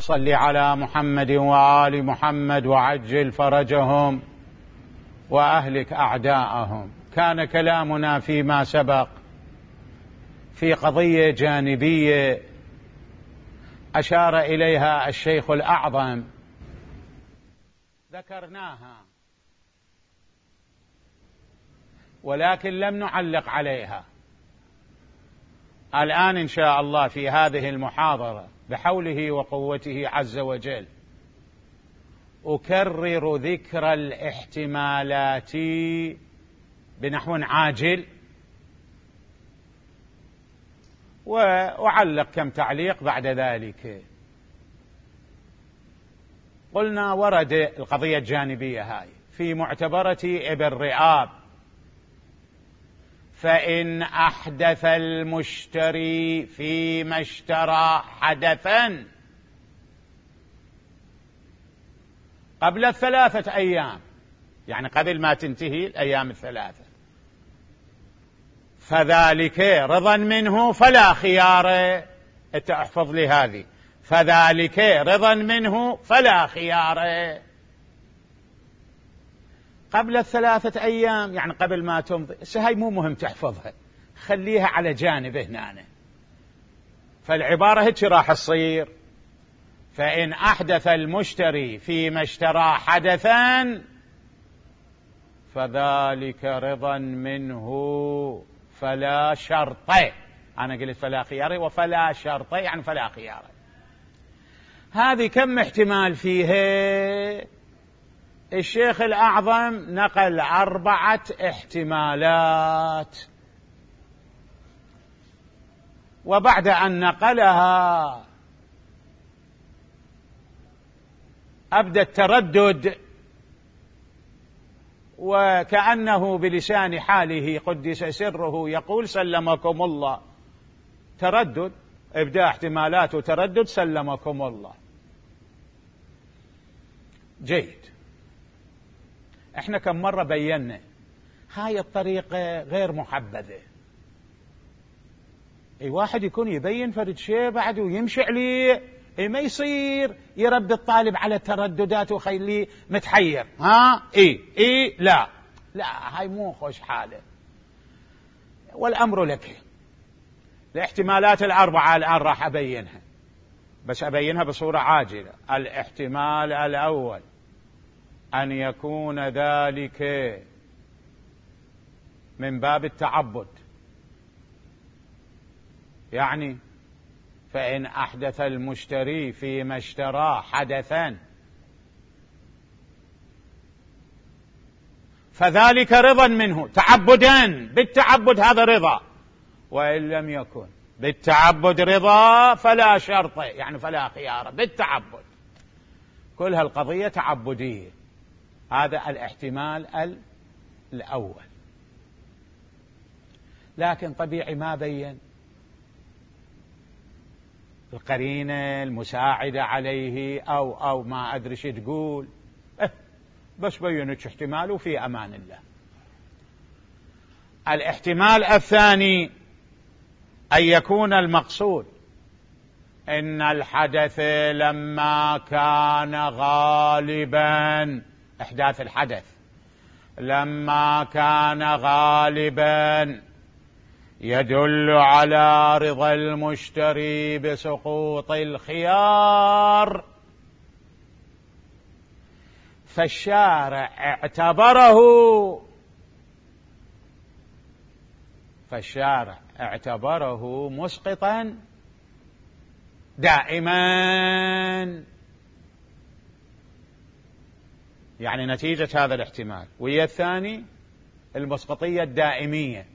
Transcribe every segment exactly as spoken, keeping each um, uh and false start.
صل على محمد وآل محمد وعجل فرجهم وأهلك أعداءهم. كان كلامنا فيما سبق في قضية جانبية أشار إليها الشيخ الأعظم، ذكرناها ولكن لم نعلق عليها. الآن إن شاء الله في هذه المحاضرة بحوله وقوته عز وجل أكرر ذكر الاحتمالات بنحو عاجل، وأعلق كم تعليق بعد ذلك. قلنا ورد القضية الجانبية هاي في معتبرة ابن رئاب: فإن أحدث المشتري فيما اشترى حدثا قبل الثلاثة أيام، يعني قبل ما تنتهي الأيام الثلاثة، فذلك رضا منه فلا خيار. انت احفظ لي هذه: فذلك رضا منه فلا خيار. قبل الثلاثة أيام يعني قبل ما تمضي. هاي مو مهم تحفظها، خليها على جانب هنا. فالعبارة هيك راح تصير: فإن أحدث المشتري فيما اشترى حدثا فذلك رضا منه فلا شرط. أنا قلت فلا خيار، وفلا شرط يعني فلا خيار. هذه كم احتمال فيها؟ الشيخ الأعظم نقل أربعة احتمالات، وبعد أن نقلها أبدأ التردد، وكأنه بلسان حاله قدس سره يقول: سلمكم الله. تردد، إبداء احتمالات وتردد، سلمكم الله. جيد. احنا كم مرة بينا هاي الطريقة غير محبذة. اي واحد يكون يبين فرد شيء بعد ويمشي عليه، اي ما يصير يربي الطالب على الترددات وخليه متحير. ها اي اي لا لا، هاي مو خوش حاله. والامر لك. الاحتمالات الاربعة الان راح ابينها، بس ابينها بصورة عاجلة. الاحتمال الاول أن يكون ذلك من باب التعبد، يعني فإن أحدث المشتري فيما اشترى حدثا فذلك رضا منه تعبدا، بالتعبد هذا رضا. وإن لم يكن بالتعبد رضا فلا شرط، يعني فلا خيار، بالتعبد. كل هالقضية تعبدية. هذا الاحتمال الأول. لكن طبيعي ما بين القرينة المساعدة عليه أو أو ما أدري شو تقول، اه بس بينك احتمال وفي أمان الله. الاحتمال الثاني أن يكون المقصود إن الحدث لما كان غالبا، إحداث الحدث لما كان غالبا يدل على رضا المشتري بسقوط الخيار، فالشارع اعتبره فالشارع اعتبره مسقطا دائما. يعني نتيجة هذا الاحتمال وهي الثاني المسقطية الدائمية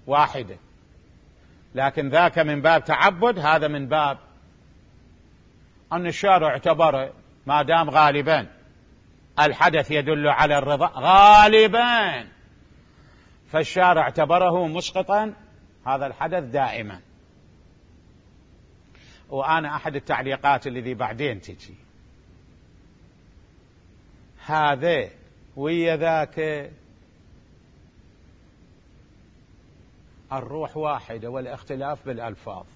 واحدة، لكن ذاك من باب تعبد، هذا من باب أن الشارع اعتبره ما دام غالبا الحدث يدل على الرضا غالبا، فالشارع اعتبره مسقطا هذا الحدث دائما. وأنا أحد التعليقات الذي بعدين تجي هذا ويا ذاك الروح واحدة والاختلاف بالألفاظ.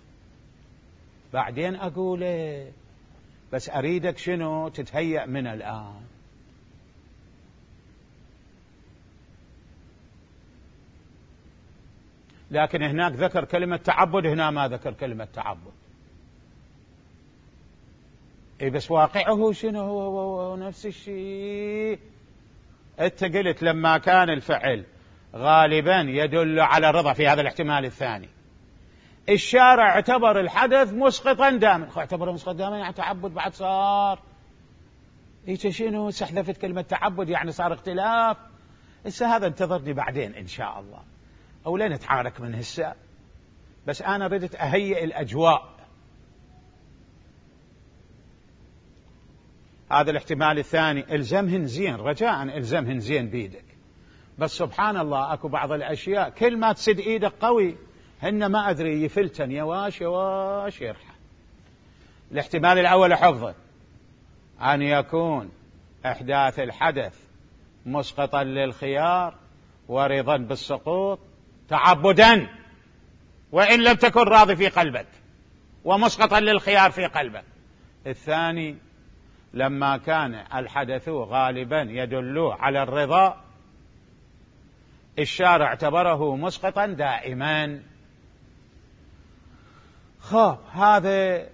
بعدين أقول بس أريدك شنو تتهيأ من الآن. لكن هناك ذكر كلمة تعبد، هنا ما ذكر كلمة تعبد. اي بس واقعه شنو هو, هو, هو نفس الشيء. انت قلت لما كان الفعل غالبا يدل على الرضا في هذا الاحتمال الثاني، الشارع اعتبر الحدث مسقطا دائما. اعتبره مسقطا دائما يعني تعبد بعد صار. ايش شنو استحذفت كلمة تعبد يعني صار اختلاف. هسه هذا انتظرني بعدين ان شاء الله، او لا نتعارك من هسه، بس انا ردت اهيئ الاجواء. هذا الاحتمال الثاني الزمهن زين، رجاء الزمهن زين بيدك. بس سبحان الله اكو بعض الاشياء كل ما تسد ايدك قوي هن ما ادري يفلتن يواش يواش يرحل. الاحتمال الاول حفظه، ان يكون احداث الحدث مسقطا للخيار ورضا بالسقوط تعبدا، وان لم تكن راضي في قلبك، ومسقطا للخيار في قلبك. الثاني لما كان الحدث غالبا يدل على الرضا، الشارع اعتبره مسقطا دائما. خب هذا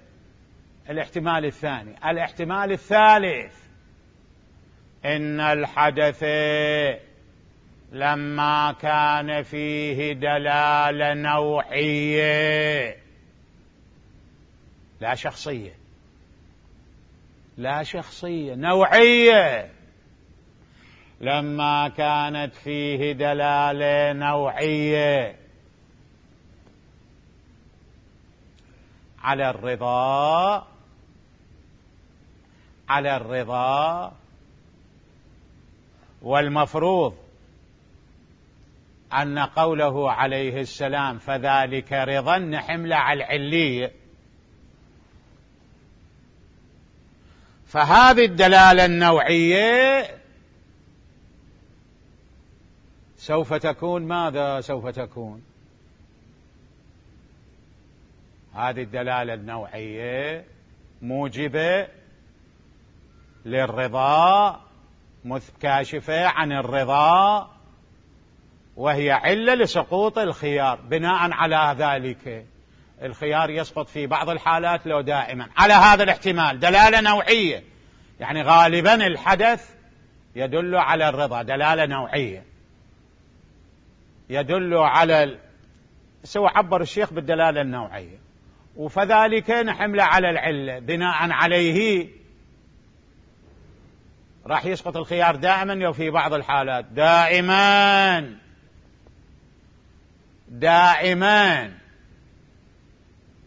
الاحتمال الثاني. الاحتمال الثالث إن الحدث لما كان فيه دلالة نوعية لا شخصية، لا شخصية نوعية، لما كانت فيه دلالة نوعية على الرضا، على الرضا، والمفروض أن قوله عليه السلام فذلك رضا نحمله على العلية. فهذه الدلالة النوعية سوف تكون ماذا؟ سوف تكون هذه الدلالة النوعية موجبة للرضا، كاشفة عن الرضا، وهي علة لسقوط الخيار. بناء على ذلك الخيار يسقط في بعض الحالات لو دائما. على هذا الاحتمال دلالة نوعية، يعني غالبا الحدث يدل على الرضا، دلالة نوعية يدل على ال... سوى عبر الشيخ بالدلالة النوعية. وفذلك نحمله على العلة، بناء عليه راح يسقط الخيار دائما وفي بعض الحالات دائما دائما،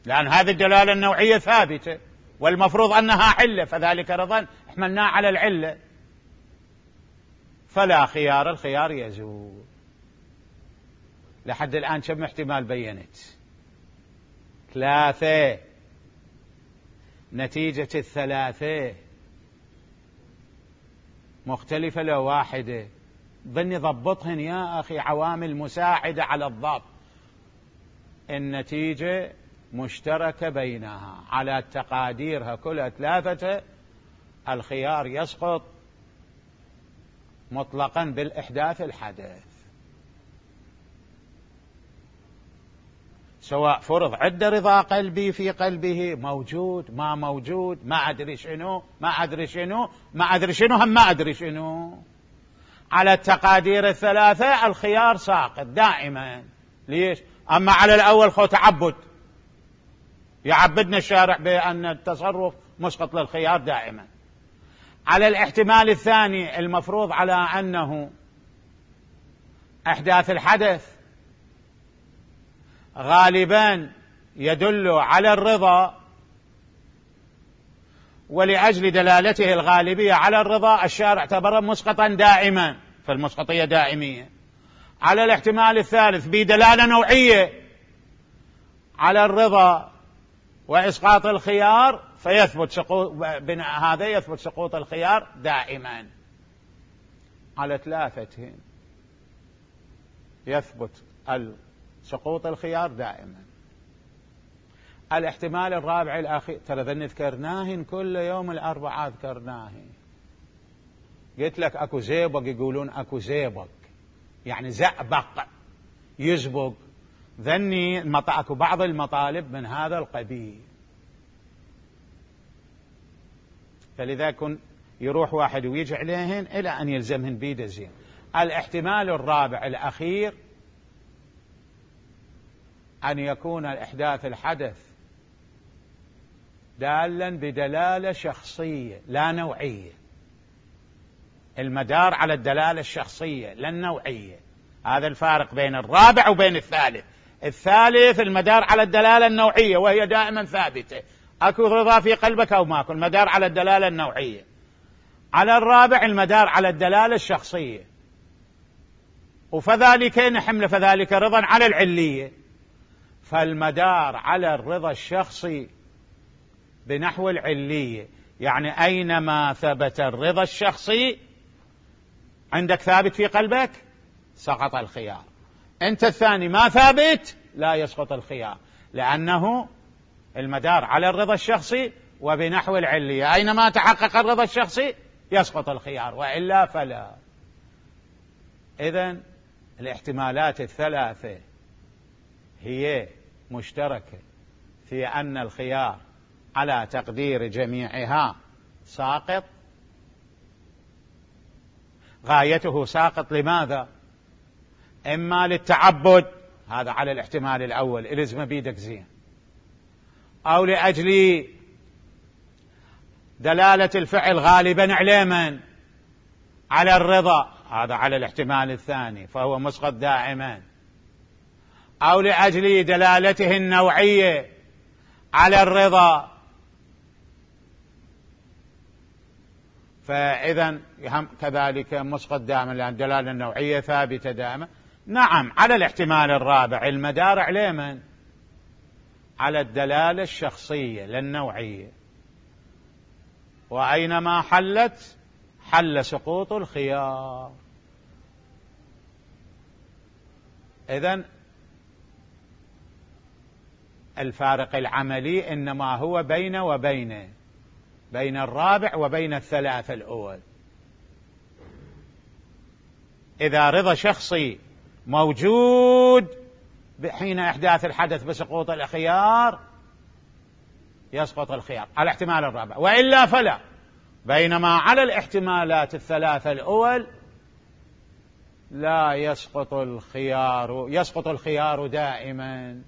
لأن هذه الدلالة النوعية ثابتة والمفروض أنها علة، فذلك رضا احملناه على العلة. فلا خيار، الخيار يزول. لحد الآن كم احتمال بينت؟ ثلاثة. نتيجة الثلاثة مختلفة لو واحدة. ظني ضبطهن يا أخي، عوامل مساعدة على الضبط. النتيجة مشتركة بينها على تقاديرها كلها ثلاثة. الخيار يسقط مطلقا بالإحداث الحدث، سواء فرض عدة رضا قلبي في قلبه موجود ما موجود، ما أدري شنو ما أدري شنو ما أدري شنو هم ما أدري شنو. على التقادير الثلاثة الخيار ساقط دائما. ليش؟ أما على الأول خو تعبد، يعبدنا الشارع بأن التصرف مسقط للخيار دائما. على الاحتمال الثاني المفروض على أنه أحداث الحدث غالبا يدل على الرضا، ولأجل دلالته الغالبية على الرضا الشارع اعتبره مسقطا دائما، فالمسقطية دائمية. على الاحتمال الثالث بدلالة نوعية على الرضا وإسقاط الخيار، فيثبت سقوط بناء هذا يثبت سقوط الخيار دائما. على ثلاثة يثبت سقوط الخيار دائما. الاحتمال الرابع الأخير، ترى ذن ذكرناهن كل يوم الأربعاء ذكرناهن. قلت لك أكو زيبق، يقولون أكو زيبق يعني زأبق يزبق، ذني أكو بعض المطالب من هذا القبيل. فلذا كن يروح واحد ويجي عليهن إلى أن يلزمهن بيده زين. الاحتمال الرابع الأخير أن يكون الإحداث الحدث دالا بدلالة شخصية لا نوعية، المدار على الدلالة الشخصية لا النوعية. هذا الفارق بين الرابع وبين الثالث. الثالث المدار على الدلالة النوعية وهي دائما ثابتة، أكو رضا في قلبك أو ماكو، المدار على الدلالة النوعية. على الرابع المدار على الدلالة الشخصية، وفذلك نحمل فذلك رضا على العلية. فالمدار على الرضا الشخصي بنحو العلية، يعني أينما ثبت الرضا الشخصي عندك ثابت في قلبك سقط الخيار. أنت الثاني ما ثابت لا يسقط الخيار، لأنه المدار على الرضا الشخصي وبنحو العلية، أينما تحقق الرضا الشخصي يسقط الخيار وإلا فلا. إذن الاحتمالات الثلاثة هي مشتركة في أن الخيار على تقدير جميعها ساقط. غايته ساقط لماذا؟ إما للتعبد، هذا على الاحتمال الأول إلزم بيدك زين، أو لأجل دلالة الفعل غالبا على من؟ على الرضا، هذا على الاحتمال الثاني فهو مسقط دائما، أو لأجل دلالته النوعية على الرضا، فإذا كذلك مسقط دائما لأن الدلالة النوعية ثابتة دائما. نعم على الاحتمال الرابع المدار على من؟ على الدلالة الشخصية لا النوعية، وأينما حلت حل سقوط الخيار. إذن الفارق العملي إنما هو بين وبين بين الرابع وبين الثلاثة الأول. إذا رضا شخصي موجود حين إحداث الحدث بسقوط الخيار يسقط الخيار على الاحتمال الرابع، وإلا فلا. بينما على الاحتمالات الثلاثة الأول لا يسقط الخيار، يسقط الخيار دائما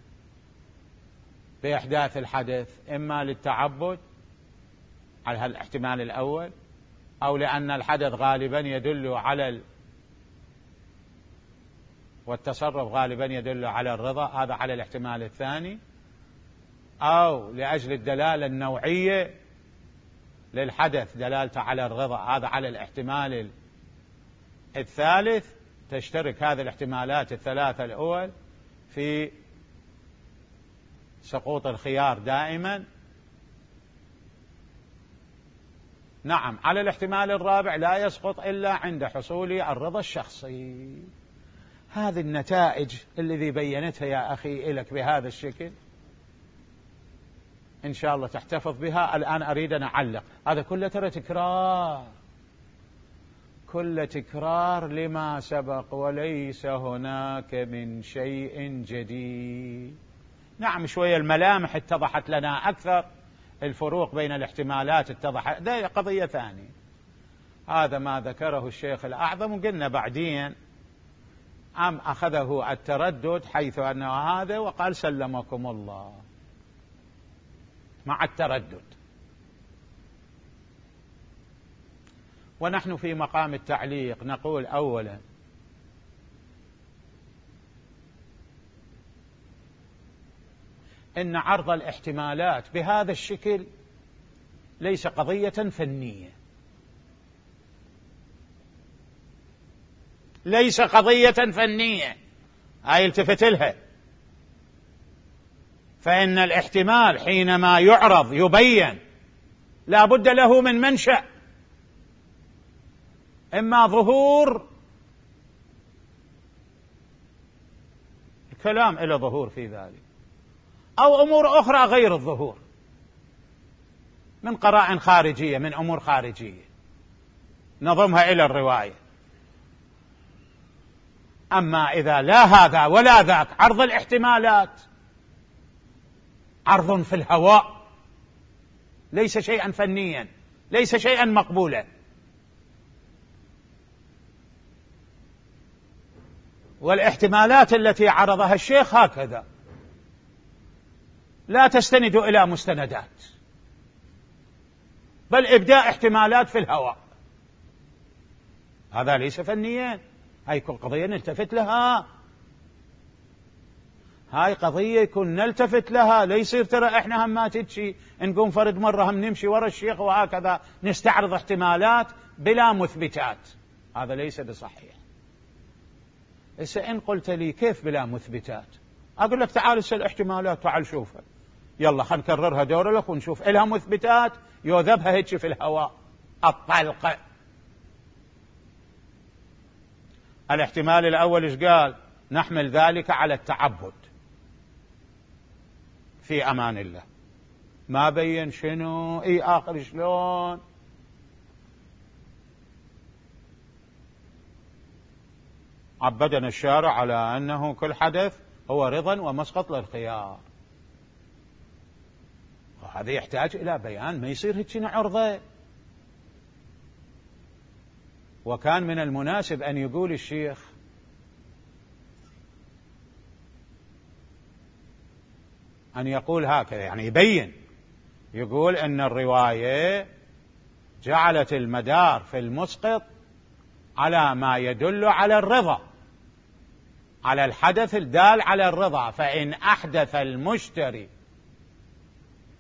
بإحداث الحدث، إما للتعبد على الاحتمال الأول، أو لأن الحدث غالبا يدل على ال... والتصرف غالبا يدل على الرضا، هذا على الاحتمال الثاني، أو لأجل الدلالة النوعية للحدث دلالته على الرضا، هذا على الاحتمال الثالث. تشترك هذه الاحتمالات الثلاثة الأول في سقوط الخيار دائما. نعم على الاحتمال الرابع لا يسقط إلا عند حصول الرضا الشخصي. هذه النتائج الذي بينتها يا أخي لك بهذا الشكل إن شاء الله تحتفظ بها. الآن أريد أن أعلق، هذا كله ترى تكرار، كل تكرار لما سبق وليس هناك من شيء جديد. نعم شوية الملامح اتضحت لنا أكثر، الفروق بين الاحتمالات اتضحت، ده قضية ثانية. هذا ما ذكره الشيخ الأعظم، وقلنا بعدين أم أخذه التردد حيث أنه هذا وقال سلمكم الله مع التردد. ونحن في مقام التعليق نقول أولا إن عرض الاحتمالات بهذا الشكل ليس قضية فنية، ليس قضية فنية، هاي التفت لها. فإن الاحتمال حينما يعرض يبين لا بد له من منشأ، إما ظهور الكلام إلى ظهور في ذلك، أو أمور أخرى غير الظهور من قرائن خارجية، من أمور خارجية نضمها إلى الرواية. أما إذا لا هذا ولا ذاك، عرض الاحتمالات عرض في الهواء، ليس شيئا فنيا، ليس شيئا مقبولا. والاحتمالات التي عرضها الشيخ هكذا لا تستند إلى مستندات، بل إبداء احتمالات في الهواء، هذا ليس فنيا. هاي كل قضية نلتفت لها، هاي قضية يكون نلتفت لها. لا يصير ترى احنا هم ما تتشي نقوم فرد مرة هم نمشي ورا الشيخ وهكذا نستعرض احتمالات بلا مثبتات، هذا ليس بصحيح. إذا إن قلت لي كيف بلا مثبتات، أقول لك تعال اسأل احتمالات، تعال شوفها، يلا خلينا نكررها دورة لك ونشوف إلها مثبتات يوذبها هيك في الهواء الطلقة. الاحتمال الأول إيش قال؟ نحمل ذلك على التعبد في أمان الله. ما بين شنو اي آخر شلون. عبدنا الشارع على أنه كل حدث هو رضا ومسقط للخيار، وهذا يحتاج إلى بيان، ما يصير هيك عرضة. وكان من المناسب أن يقول الشيخ أن يقول هكذا، يعني يبين، يقول أن الرواية جعلت المدار في المسقط على ما يدل على الرضا، على الحدث الدال على الرضا، فإن أحدث المشتري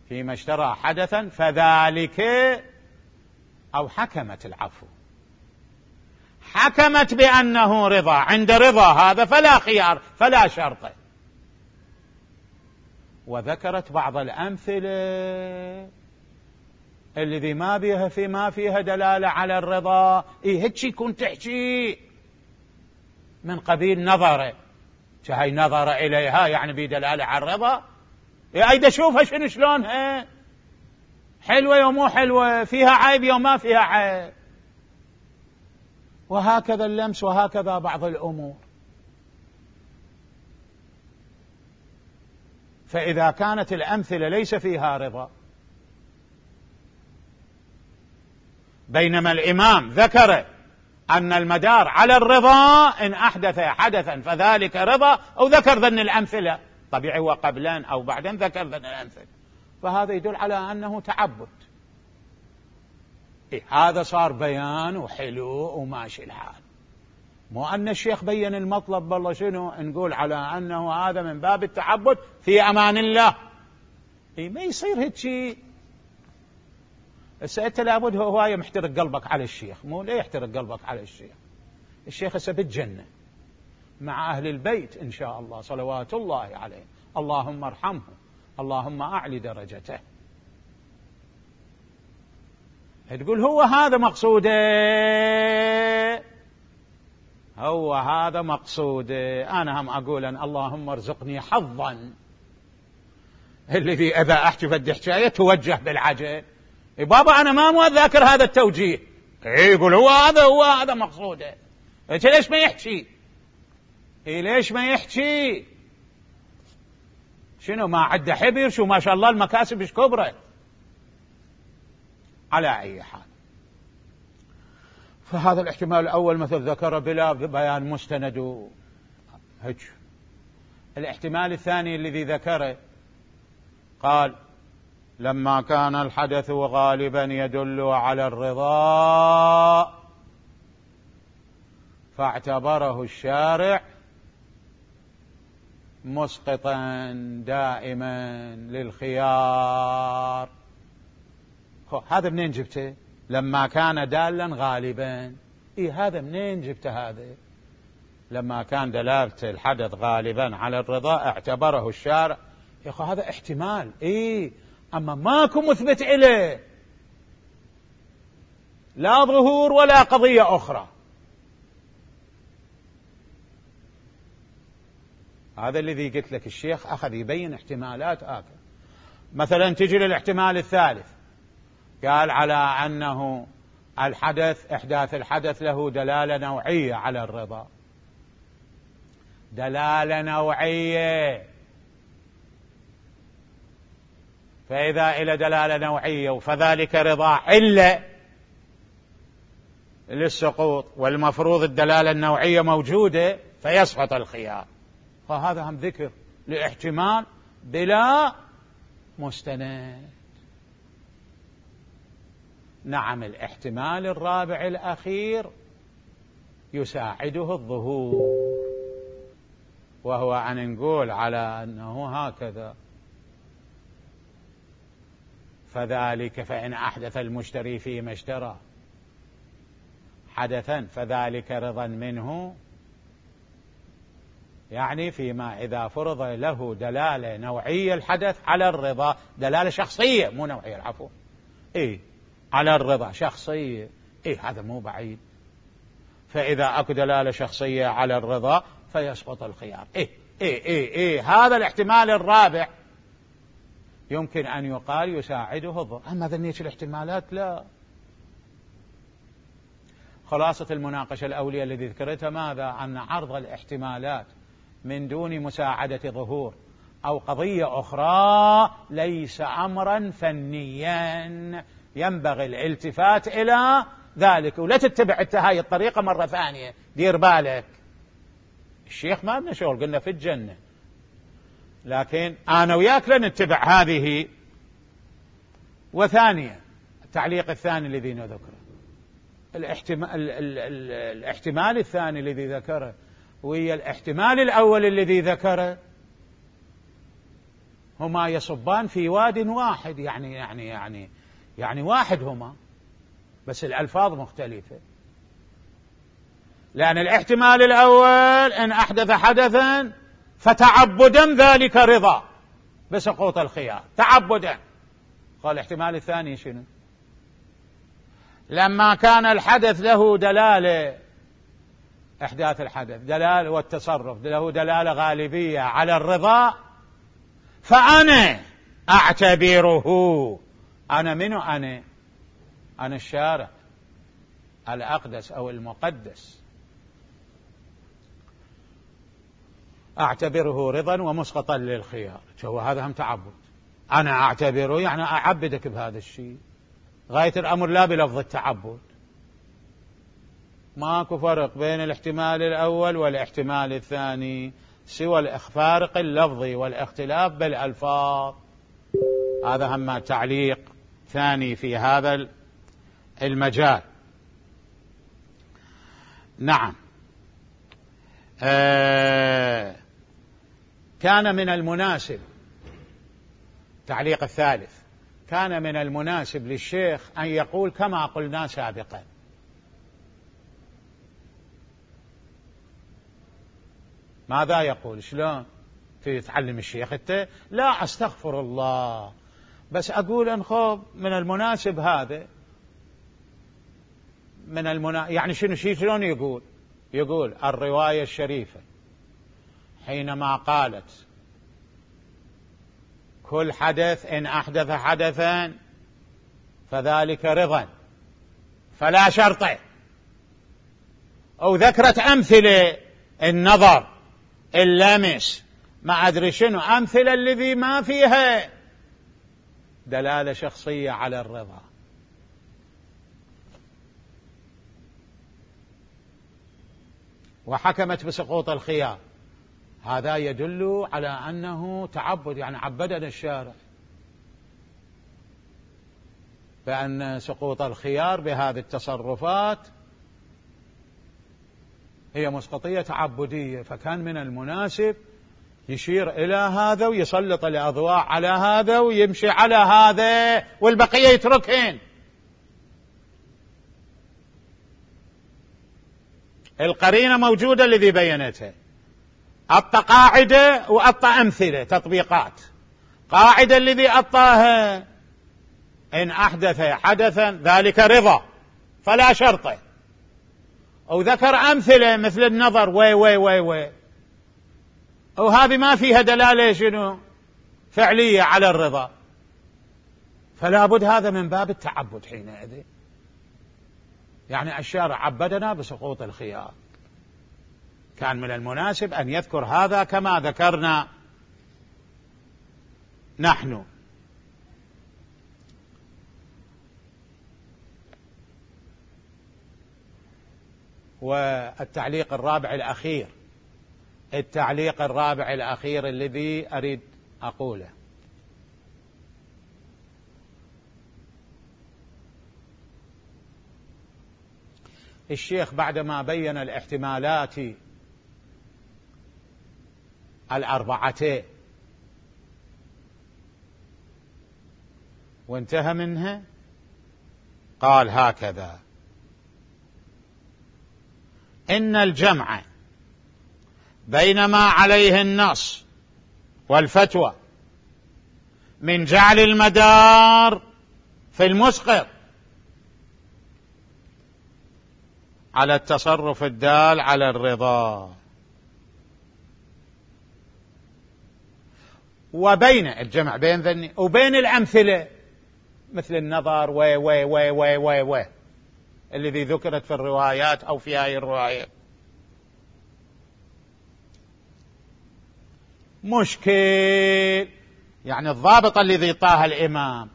فيما اشترى حدثا فذلك، أو حكمت العفو، حكمت بأنه رضا، عند رضا هذا فلا خيار فلا شرط. وذكرت بعض الأمثلة الذي ما بيها في ما فيها دلالة على الرضا. إيه هيك يكون تحكي من قبيل نظرة، هاي نظر إليها يعني بدلالة على الرضا. إيه أيدا شوفها شنو شلونها، حلوة يوم مو حلوة، فيها عيب يوم ما فيها عيب، وهكذا اللمس، وهكذا بعض الأمور. فإذا كانت الأمثلة ليس فيها رضا، بينما الإمام ذكر أن المدار على الرضا إن أحدث حدثا فذلك رضا، أو ذكر ذن الأمثلة طبيعي وقبلان أو بعدين ذكر ذن الأمثلة، فهذا يدل على أنه تعبد. إيه هذا صار بيان وحلو وماشي الحال، مو أن الشيخ بين المطلب بالله شنو نقول على أنه هذا من باب التعبد في أمان الله. إيه ما يصير هيك شيء. هسه أنت لابد هواية محترق قلبك على الشيخ، مو ليه يحترق قلبك على الشيخ؟ الشيخ هسه بالجنة مع أهل البيت إن شاء الله صلوات الله عليه، اللهم ارحمه، اللهم أعلي درجته. تقول هو هذا مقصوده، هو هذا مقصوده. أنا هم أقول أن اللهم ارزقني حظا الذي إذا أحكي بدي حكاية توجه بالعجل. إيه بابا أنا ما مو ذاكر هذا التوجيه. إيه يقول هو هذا هو هذا مقصوده. إيه ليش ما يحكي؟ إيه ليش ما يحكي؟ شنو ما عده حبر؟ شو ما شاء الله المكاسب إيش كبرت. على أي حال، فهذا الاحتمال الأول مثل ذكر بلا بيان مستند هيك. الاحتمال الثاني الذي ذكره قال لما كان الحدث غالبا يدل على الرضا فاعتبره الشارع مسقطا دائما للخيار. هذا منين جبته؟ لما كان دالا غالبا. إيه هذا منين جبته؟ هذا لما كان دلالة الحدث غالبا على الرضا اعتبره الشارع. يا أخي هذا احتمال، إيه أما ماكو مثبت إليه، لا ظهور ولا قضية أخرى. هذا الذي قلت لك الشيخ أخذ يبين احتمالات آخر. مثلا تجي للاحتمال الثالث، قال على أنه الحدث إحداث الحدث له دلالة نوعية على الرضا. دلالة نوعية، فإذا إلى دلالة نوعية فذلك رضا علة للسقوط، والمفروض الدلالة النوعية موجودة فيسقط الخيار. فهذا هم ذكر لاحتمال بلا مستند. نعم، الاحتمال الرابع الأخير يساعده الظهور، وهو أن نقول على أنه هكذا، فذلك فإن أحدث المشتري فيما اشترى حدثا فذلك رضا منه، يعني فيما إذا فرض له دلالة نوعية الحدث على الرضا، دلالة شخصية مو نوعية، العفو، إيه على الرضا شخصية، إيه هذا مو بعيد. فإذا أكو دلالة شخصية على الرضا فيسقط الخيار. إيه إيه إيه إيه هذا الاحتمال الرابع يمكن أن يقال يساعده الظهور. أما ذنية الاحتمالات لا. خلاصة المناقشة الأولية التي ذكرتها ماذا؟ أن عرض الاحتمالات من دون مساعدة ظهور أو قضية أخرى ليس أمرا فنيا، ينبغي الالتفات إلى ذلك، ولا تتبع هاي الطريقة مرة ثانية. دير بالك، الشيخ ما لنا شغل، قلنا في الجنة، لكن أنا وياك لنتبع هذه. وثانيا التعليق الثاني الذي نذكره، الاحتمال, الاحتمال الثاني الذي ذكره وهي الاحتمال الأول الذي ذكره هما يصبان في واد واحد، يعني يعني يعني يعني واحد هما، بس الألفاظ مختلفة. لأن الاحتمال الأول إن أحدث حدثا فتعبدا ذلك رضا بسقوط الخيار، تعبدا. قال الاحتمال الثاني شنو؟ لما كان الحدث له دلالة، إحداث الحدث دلالة والتصرف له دلالة غالبية على الرضا، فأنا أعتبره، أنا منو؟ أنا أنا الشارع الأقدس أو المقدس، أعتبره رضا ومسقطا للخيار. شو هذا هم تعبد. أنا أعتبره يعني أعبدك بهذا الشيء، غاية الأمر لا بلفظ التعبد. ماكو فرق بين الاحتمال الأول والاحتمال الثاني سوى الفارق اللفظي والاختلاف بالألفاظ. هذا هم تعليق ثاني في هذا المجال. نعم. آه كان من المناسب، تعليق الثالث، كان من المناسب للشيخ أن يقول كما قلنا سابقا. ماذا يقول؟ شلون تتعلم الشيخ انت؟ لا استغفر الله، بس أقول انخب من المناسب هذا، من المنا... يعني شنو شي شلون يقول؟ يقول الرواية الشريفة حينما قالت كل حدث إن أحدث حدثا فذلك رضا فلا شرط، أو ذكرت أمثلة النظر اللمس ما أدري شنو، أمثلة الذي ما فيها دلالة شخصية على الرضا. وحكمت بسقوط الخيار، هذا يدل على أنه تعبد، يعني عبدنا الشارع بأن سقوط الخيار بهذه التصرفات هي مسقطية تعبدية، فكان من المناسب يشير إلى هذا ويسلط الأضواء على هذا ويمشي على هذا والبقية يتركين. القرينة موجودة الذي بينتها، أعطى قاعدة وأعطى أمثلة تطبيقات. قاعدة الذي أعطاها إن أحدث حدثا ذلك رضا فلا شرط، أو ذكر أمثلة مثل النظر وي وي وي وي وهذه ما فيها دلالة شنو فعلية على الرضا، فلا بد هذا من باب التعبد حينئذ. يعني الشارع عبدنا بسقوط الخيار، كان من المناسب أن يذكر هذا كما ذكرنا نحن. والتعليق الرابع الأخير، التعليق الرابع الأخير الذي أريد أقوله: الشيخ بعدما بين الاحتمالات الأربعتين وانتهى منها، قال هكذا: إن الجمع بين ما عليه النص والفتوى من جعل المدار في المسقط على التصرف الدال على الرضا، وبين الجمع بين ذني وبين الأمثلة مثل النظر و و و و و و الذي ذكرت في الروايات أو في هذه الرواية مشكل. يعني الضابط الذي طاها الإمام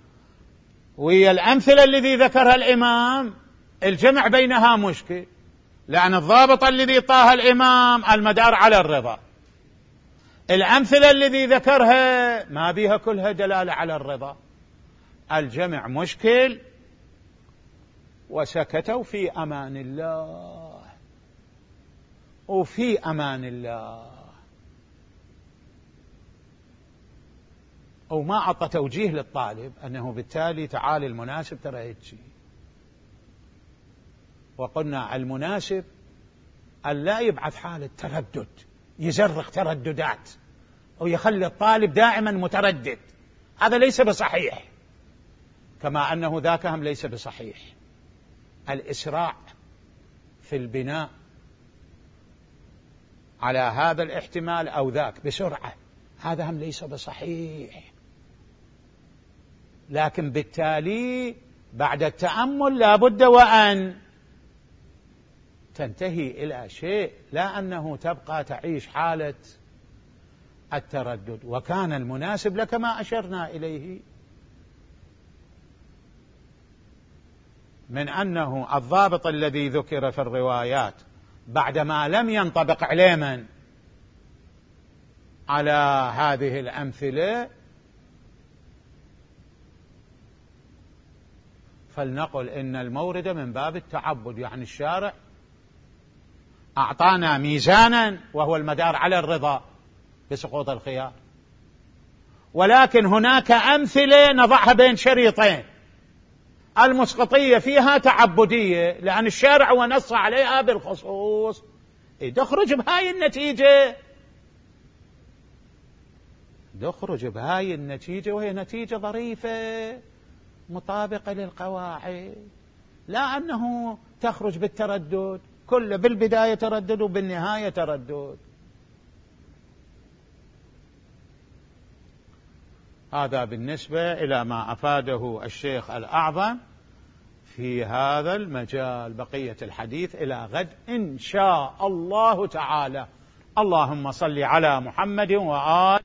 وهي الأمثلة الذي ذكرها الإمام، الجمع بينها مشكل، لأن الضابط الذي طاها الإمام المدار على الرضا، الأمثلة الذي ذكرها ما بها كلها دلالة على الرضا، الجمع مشكل. وسكتوا في أمان الله وفي أمان الله، وما أعطى توجيه للطالب أنه بالتالي تعالي المناسب ترى هيك. وقلنا المناسب أن لا يبعث حالة تردد، يزرق ترددات ويخلي الطالب دائما متردد، هذا ليس بصحيح، كما أنه ذاك هم ليس بصحيح. الإسراع في البناء على هذا الاحتمال أو ذاك بسرعة، هذا هم ليس بصحيح. لكن بالتالي بعد التأمل لا بد وأن تنتهي إلى شيء، لا أنه تبقى تعيش حالة التردد. وكان المناسب لك ما أشرنا إليه من أنه الضابط الذي ذكر في الروايات بعدما لم ينطبق علما على هذه الأمثلة، فلنقل إن المورد من باب التعبد، يعني الشارع أعطانا ميزانا وهو المدار على الرضا بسقوط الخيار، ولكن هناك أمثلة نضعها بين شريطين، المسقطية فيها تعبدية لأن الشارع ونص عليها بالخصوص، تخرج بهاي النتيجة، تخرج بهاي النتيجة وهي نتيجة ظريفة مطابقة للقواعد، لا أنه تخرج بالتردد، كله بالبداية تردد وبالنهاية تردد. هذا بالنسبة إلى ما أفاده الشيخ الأعظم في هذا المجال. بقية الحديث إلى غد إن شاء الله تعالى. اللهم صل على محمد وآل